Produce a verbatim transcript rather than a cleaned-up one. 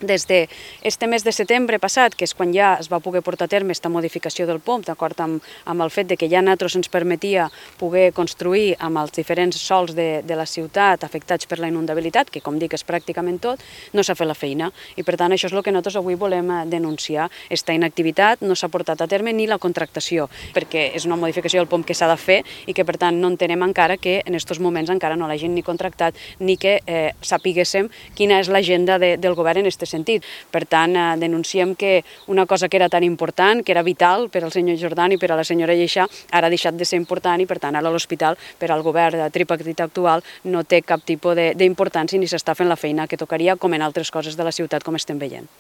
Des d'aquest mes de setembre passat, que és quan ja es va poder portar a terme aquesta modificació del P O M, d'acord amb, amb el fet de que ja a nosaltres ens permetia poder construir amb els diferents sols de, de la ciutat afectats per la inundabilitat, que com dic és pràcticament tot, no s'ha fet la feina. I per tant això és el que nosaltres avui volem denunciar. Esta inactivitat no s'ha portat a terme ni la contractació, perquè és una modificació del P O M que s'ha de fer i que per tant no entenem encara que en aquests moments encara no l'hagin ni contractat ni que eh, sapiguéssim quina és l'agenda de, del govern en aquest sentit. Per tant, eh, denunciem que una cosa que era tan important, que era vital per al senyor Jordan i per a la senyora Lleixà, ara ha deixat de ser important i per tant ara l'hospital per al govern tripartit actual no té cap tipus d'importància ni s'està fent la feina que tocaria com en altres coses de la ciutat com estem veient.